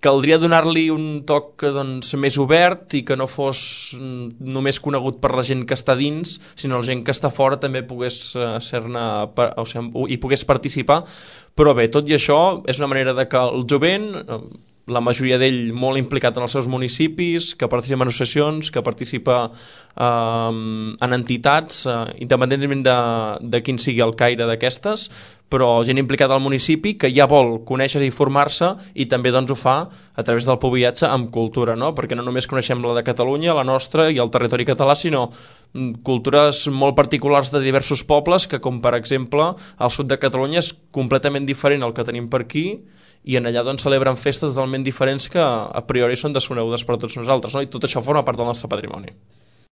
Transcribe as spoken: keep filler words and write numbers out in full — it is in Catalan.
caldria donar-li un toc doncs, més obert i que no fos només conegut per la gent que està dins, sinó la gent que està fora també pogués uh, ser-ne, o sigui, i pogués participar. Però bé, tot i això és una manera de que el jovent, la majoria d'ell molt implicat en els seus municipis, que participa en associacions, que participa eh, en entitats, eh, independentment de, de quin sigui el caire d'aquestes, però gent implicada al municipi que ja vol conèixer i formar-se i també doncs, ho fa a través del Poviatge amb cultura, no? Perquè no només coneixem la de Catalunya, la nostra i el territori català, sinó cultures molt particulars de diversos pobles que, com per exemple, al sud de Catalunya és completament diferent al que tenim per aquí i en allà doncs, celebren festes totalment diferents que a priori són desconegudes per tots nosaltres, no? I tot això forma part del nostre patrimoni.